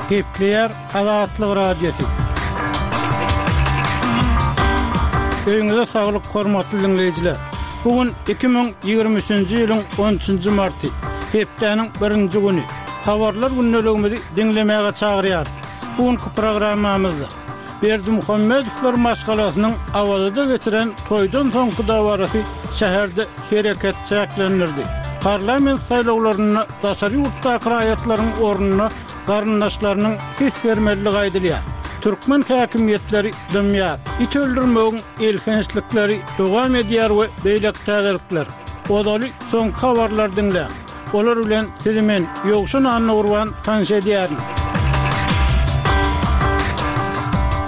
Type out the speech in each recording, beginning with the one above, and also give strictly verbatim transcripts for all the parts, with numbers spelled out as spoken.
Gepleýär Azatlyk Radiosy. Öýüňize saglyk, hormatly diňleýjiler! Bu gün iki müň ýigrimi üçünji ýylyň on üçünji marty, hepdäniň birinji güni. Habarlar gündeligimizi diňlemäge çagyrýarys. Bu günki programmamyzda Berdimuhamedowlar maşgalasynyň Awazada geçiren toýdan soňky dabarasy şäherde hereket çäklendirdi. Parlament saýlawlarynda daşary ýurtdaky raýatlaryň ornuna garyndaşlarynyň ses bermelidigi aýdylýar. Türkmen häkimiýetleri dymýar. It öldürmegiň elhençlikleri dowam edýär we beýleki täzelikler. Ozaly soňky habarlary diňläň. Olar bilen sizi men, Ýowşan Annagurban tanyş edýärin.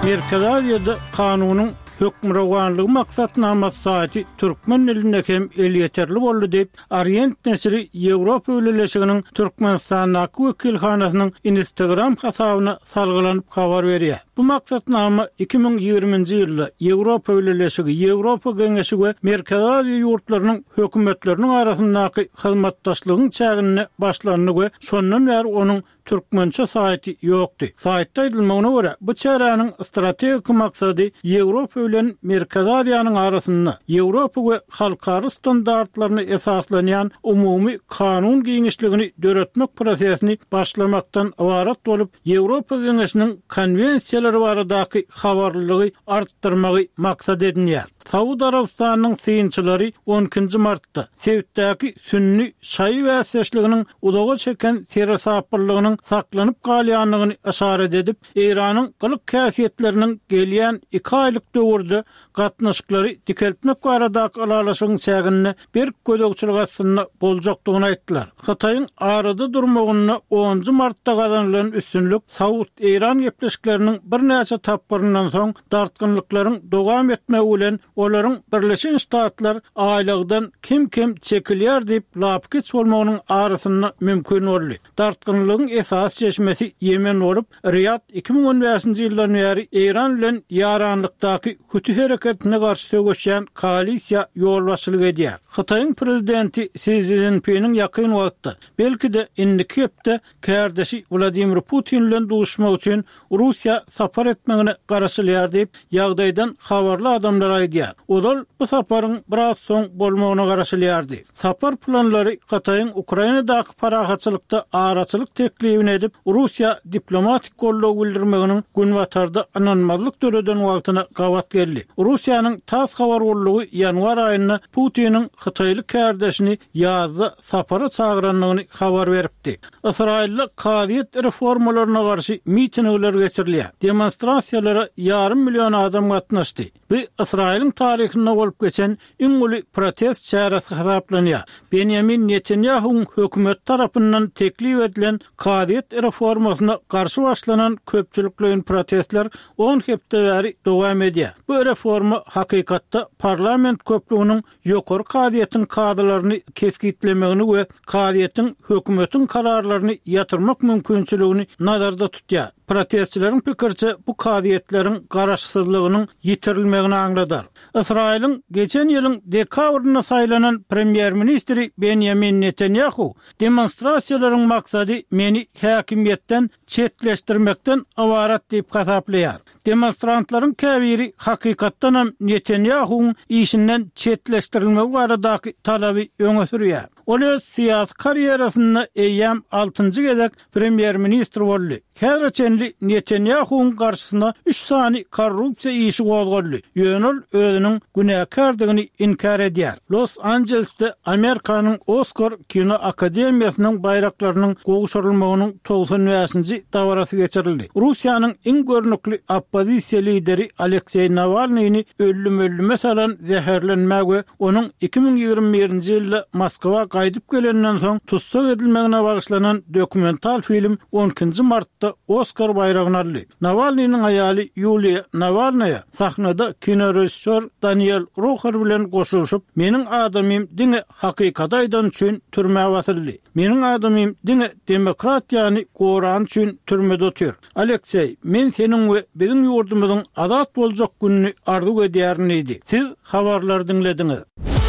Merkezi Aziýada kanunyň hökmürowanlygy maksatnamasy saýty türkmen dilinde hem elýeterli boldy diýip, Orient neşiri Ýewropa Bileleşiginiň Türkmenistandaky wekilhanasynyň Instagram hasabyna salgylanyp habar berýär. Bu maksatnama iki müň ýigriminji ýylda Ýewropa Bileleşigi, Ýewropa Geňeşi we Merkezi Aziýa ýurtlarynyň hökümetleriniň arasyndaky hyzmatdaşlygyň çäginde başlandy we şondan bäri onuň türkmençe saýty ýokdy. Saýtda aýdylmagyna görä, bu çäräniň strategik maksady Ýewropa bilen Merkezi Aziýanyň arasynda Ýewropa we halkara standartlaryna esaslanýan umumy kanun giňişligini döretmek prosesini başlamakdan ybarat bolup, Ýewropa Geňeşiniň konwensiýalary baradaky habarlylygy artdyrmagy maksat edinýär. Saud Arabystanynyň synçylary on ikinji martda sebitdäki sünni şaýy bäsdeşliginiň uzaga çeken seresaplylygynyň saklanyp galýandygyny yşarat edip, Eýranyň gylyk-häsiýetleriniň gelýän iki aýlyk döwürde gatnaşyklary dikeltmek baradaky ylalaşygyň çäginde berk gözegçilik astynda boljakdygyny aýtdylar. Hytaýyň arada durmagynda onunjy martda gazanylan üstünlik Saud-Eýran gepleşikleriniň birnäçe tapgyryndan soň dartgynlyklaryň dowam etmegi bilen olaryň Birleşen Ştatlar aýlagdan kem-kem çekilýär diýip lapykeç bolmagynyň arasynda mümkin boldy. Dartgynlygyň esasy çeşmesi Ýemen bolup, Riýad iki müň on bäşinji ýyldan bäri Eýran bilen ýaranlykdaky Huti hereketine garşy söweşýän koalisiýa ýolbaşçylyk edýär. Hytaýyň prezidenti Si Szinpiniň ýakyn wagtda, belki-de indiki hepde kärdeşi Wladimir Putin bilen duşuşmak üçin Russiýa sapar etmegine garaşylýar diýip, ýagdaýdan habarly adamlar aýdýar. Ozal bu saparyň biraz soň bolmagyna garaşylýardy. Sapar planlary Hytaýyň Ukrainadaky parahatçylykda araçylyk teklibini edip, Russiýa diplomatik goldaw bildirmeginiň Günbatarda ynanmazlyk döreden wagtyna gabat geldi. Russiýanyň TASS habar gullugy ýanwar aýynda Putiniň hytaýly kärdeşini ýazda sapara çagyrandygyny habar beripdi. Ysraýylda kazyýet reformalaryna garşy mitingler geçirilýär. Demonstrasiýalara ýarym million adam gatnaşdy. Bu Ysraýylyň taryhynda bolup geçen iň uly protest çäresi hasaplanýar. Benýamin Netanýahuwyň hökümeti tarapyndan teklip edilen kazyýet reformasyna garşy başlanan köpçülikleýin protestler on hepde bäri dowam edýär. Bu reforma hakykatda parlament köplüginiň ýokary kazyýetiň kazylaryny kesgitlemegini we kazyýetiň hökümetiň kararlaryny ýatyrmak mümkinçiligini nazarda tutýar. Protestçileriň pikiriçe, bu kazyýetleriň garaşsyzlygynyň ýitirilmegini aňladar. Ysraýylyň geçen ýylyň dekabrynda saýlanan premýer-ministri Benýamin Netanýahu demonstrasiýalaryň maksady meni häkimiýetden çetleşdirmekden ybarat diýip hasaplaýar. Demonstrantlaryň käbiri hakykatdanam Netanýahuwyň işinden çetleşdirilmegi baradaky talaby öňe sürýär. Ol öz syýasy karýerasynda eýýäm altynjy gezek premýer-ministr boldy. Häzire çenli Netanýahuwyň garşysyna üç sany korrupsiýa işi gozgaldy, ýöne ol özüniň günäkärdigini inkär edýär. Los-Anjelesde Amerikanyň Oskar kino akademiýasynyň baýraklarynyň gowşurylmagynyň togsan bäşinji dabarasy geçirildi. Russiýanyň iň görnükli oppozisiýa lideri Alekseý Nawalnyny öllüm-öllüme salan zäherlenmä we onuň iki müň ýigrimi birinji ýylda Moskwa gaýdyp gelenden soň tussag edilmegine bagyşlanan dokumental film on ikinji martda Oskar baýragyny aldy. Nawalnynyň aýaly Ýuliýa Nawalnaýa sahnada kinorežissýor Daniel Roher bilen goşulyşyp, Meniň adamym diňe hakykaty aýdany üçin türmä basyldy. Meniň adamym diňe demokratiýany gorany üçin türmede otyr. Alekseý, men seniň we biziň ýurdumyzyň azat boljak gününi arzuw edýärin diýdi. Siz habarlary diňlediňiz.